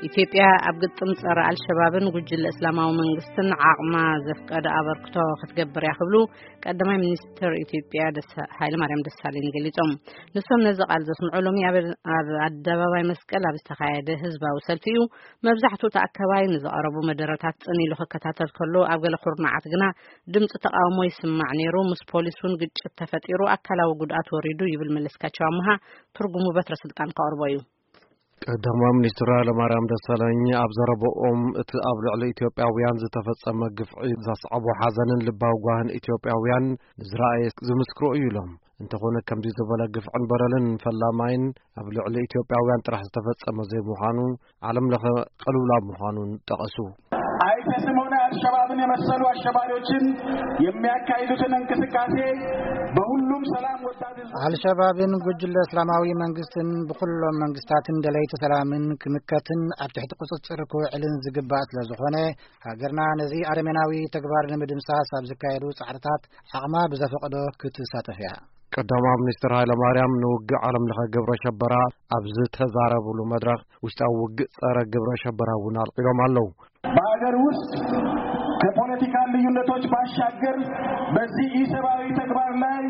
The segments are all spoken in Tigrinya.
ኢትዮጵያ ኣብ ግጥም ጸረ ኣልሸባብን ጉጅለ እስላማዊ መንግስትን ዓቕማ ዘፍቀደ ኣበርክቶ ክትገብር እያ ክብሉ ቀዳማይ ሚኒስትር ኢትዮጵያ ደሳ-፣ ሃይለማርያም ደሳለኝ ገሊጾም። ንሶም ነዚ ቃል ዘስምዑ ሎሚ ኣብ፣ ኣብ ኣደባባይ መስቀል ኣብ ዝተኻየደ ህዝባዊ ሰልፊ እዩ። መብዛሕትኡ ተኣከባይ ንዝቐረቡ መደረታት ጽን ኢሉ ክከታተል ከሎ፣ ኣብ ገለ ኩርናዓት ግና ድምፂ ተቃውሞ ይስማዕ ነይሩ። ምስ ፖሊስ እውን ግጭት ተፈጢሩ፣ ኣካላዊ ጉድኣት ወሪዱ ይብል መለስካቸው ኣምሃ። ትርጉሙ በትረ ስልጣን ከቕርቦ እዩ። ቀዳማይ ሚኒስትር ኃይለማርያም ደሳለኝ ኣብ ዘረባኦም፣ እቲ ኣብ ልዕሊ ኢትዮጵያውያን ዝተፈጸመ ግፍዒ ዘስዓቦ ሓዘንን ልባዊ ጓህን ኢትዮጵያውያን ንዝረኣየ ዝምስክሮ እዩ ኢሎም። እንተኾነ፣ ከምዚ ዝበለ ግፍዕን በደልን ፈላማይን ኣብ ልዕሊ ኢትዮጵያውያን ጥራሕ ዝተፈጸመ ዘይምዃኑ፣ ዓለም ለኸ ቅልውላው ምዃኑን ጠቐሱ። አይሲስም ሆነ አልሸባብን የመሰሉ አሸባሪዎችን የሚያካሂዱትን እንቅስቃሴ በሁሉም ሰላም ወዳድ ህዝቦች፣ አልሸባብን ጉጅለ እስላማዊ መንግስትን ብኩሎም መንግስታትን ደለይቲ ሰላምን ክምከትን ኣብ ትሕቲ ቁጽጽር ክውዕልን ዝግባእ ስለ ዝኾነ፣ ሃገርና ነዚ ኣረሜናዊ ተግባር ንምድምሳስ ኣብ ዝካየዱ ጻዕርታት ዓቕማ ብዘፈቕዶ ክትሳተፍ እያ። ቀዳማይ ሚኒስትር ኃይለማርያም ንውግእ ዓለም ለኸ ግብረ ሸበራ ኣብ ዝተዛረብሉ መድረኽ፣ ውሽጣዊ ውግእ ጸረ ግብረ ሸበራ እውን ኣልዒሎም ኣለዉ። በሀገር ውስጥ ከፖለቲካ ልዩነቶች ባሻገር በዚህ ኢሰብአዊ ተግባር ላይ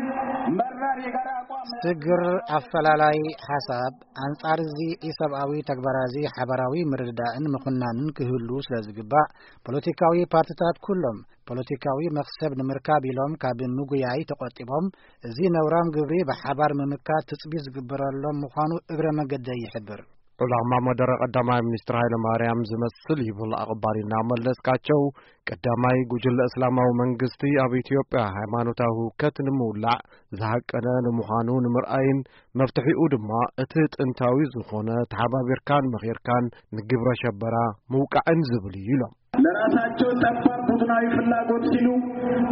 መራር የጋራ አቋም ስግር ኣፈላላይ ሓሳብ ኣንጻር እዚ ኢሰብኣዊ ተግባር እዚ ሓባራዊ ምርድዳእን ምኹናንን ክህሉ ስለ ዝግባእ፣ ፖለቲካዊ ፓርትታት ኩሎም ፖለቲካዊ መኽሰብ ንምርካብ ኢሎም ካብ ምጉያይ ተቖጢቦም፣ እዚ ነውራም ግብሪ ብሓባር ምምካት ትጽቢት ዝግበረሎም ምዃኑ እግረ መገደይ ይሕብር። ዕላማ መደረ ቀዳማይ ሚኒስትር ኃይለማርያም ዝመስል ይብል ኣቕባሊና መለስካቸው፣ ቀዳማይ ጉጅለ እስላማዊ መንግስቲ ኣብ ኢትዮጵያ ሃይማኖታዊ ህውከት ንምውላዕ ዝሃቀነ ንምዃኑ ንምርኣይን፣ መፍትሒኡ ድማ እቲ ጥንታዊ ዝኾነ ተሓባቢርካን መኺርካን ንግብረ ሸበራ ምውቃዕን ዝብል እዩ ኢሎም። ለራሳቸው ጠባብ ቡድናዊ ፍላጎት ሲሉ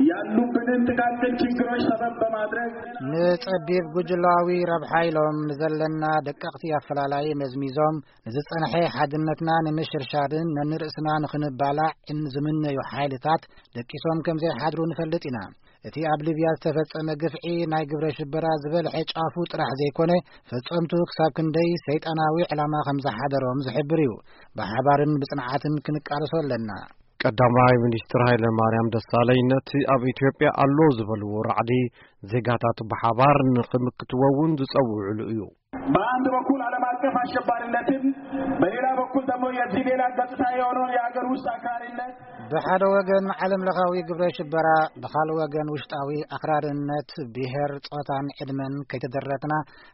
ያሉብንን ጥቃቅን ችግሮች ሰበብ በማድረግ ንጸቢብ ጉጅላዊ ረብሓ ኢሎም ንዘለና ደቀቕቲ ኣፈላላይ መዝሚዞም፣ ንዝጸንሐ ሓድነትና ንምሽርሻርን ነንርእስና ንኽንባላዕን ዝምነዩ ሓይልታት ደቂሶም ከም ዘይሓድሩ ንፈልጥ ኢና። እቲ ኣብ ሊብያ ዝተፈጸመ ግፍዒ ናይ ግብረ ሽበራ ዝበልሐ ጫፉ ጥራሕ ዘይኮነ፣ ፈጸምቱ ክሳብ ክንደይ ሰይጣናዊ ዕላማ ከም ዝሓደሮም ዝሕብር እዩ። ብሓባርን ብጽንዓትን ክንቃለሶ ኣለና። ቀዳማይ ሚኒስትር ኃይለ ማርያም ደሳለኝ ነቲ ኣብ ኢትዮጵያ ኣሎ ዝበልዎ ራዕዲ ዜጋታት ብሓባር ንኽምክትዎ እውን ዝጸውዕሉ እዩ። በአንድ በኩል ዓለም አቀፍ አሸባሪነትን፣ በሌላ በኩል ደግሞ የዚህ ሌላ ገጽታ የሆነውን የሀገር ውስጥ አክራሪነት ብሓደ ወገን ዓለም ለኻዊ ግብረ ሽበራ፣ ብኻልእ ወገን ውሽጣዊ ኣኽራርነት ብሄር፣ ጾታን ዕድመን ከይተደረትና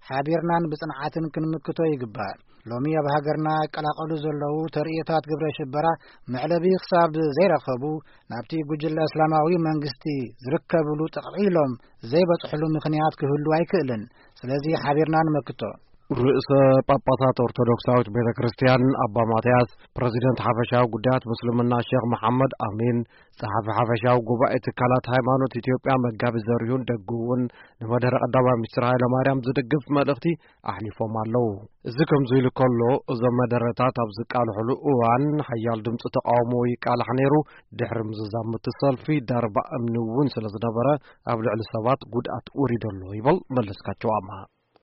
ሓቢርናን ብጽንዓትን ክንምክቶ ይግባእ። ሎሚ ኣብ ሃገርና ይቀላቐሉ ዘለዉ ተርእዮታት ግብረ ሽበራ መዕለቢ ክሳብ ዘይረኸቡ፣ ናብቲ ጉጅለ እስላማዊ መንግስቲ ዝርከብሉ ጥቕዒ ኢሎም ዘይበጽሕሉ ምኽንያት ክህሉ ኣይክእልን። ስለዚ ሓቢርና ንመክቶ። ርእሰ ጳጳሳት ኦርቶዶክሳዊት ቤተ ክርስቲያን ኣባ ማትያስ፣ ፕረዚደንት ሓፈሻዊ ጉዳያት ምስልምና ሼኽ መሓመድ ኣሚን፣ ጸሓፊ ሓፈሻዊ ጉባኤ ትካላት ሃይማኖት ኢትዮጵያ መጋቢ ዘሪሁን ደጉ እውን ንመደረ ቀዳማይ ሚኒስትር ሃይለ ማርያም ዝድግፍ መልእኽቲ ኣሕሊፎም ኣለዉ። እዚ ከምዚ ኢሉ ከሎ፣ እዞም መደረታት ኣብ ዝቃልሕሉ እዋን ሓያል ድምፂ ተቃውሞ ይቃላሕ ነይሩ። ድሕሪ ምዝዛም እቲ ሰልፊ ዳርባ እምኒ እውን ስለ ዝነበረ ኣብ ልዕሊ ሰባት ጉድኣት ወሪዱ ኣሎ ይበል መለስካቸው ኣምሃ።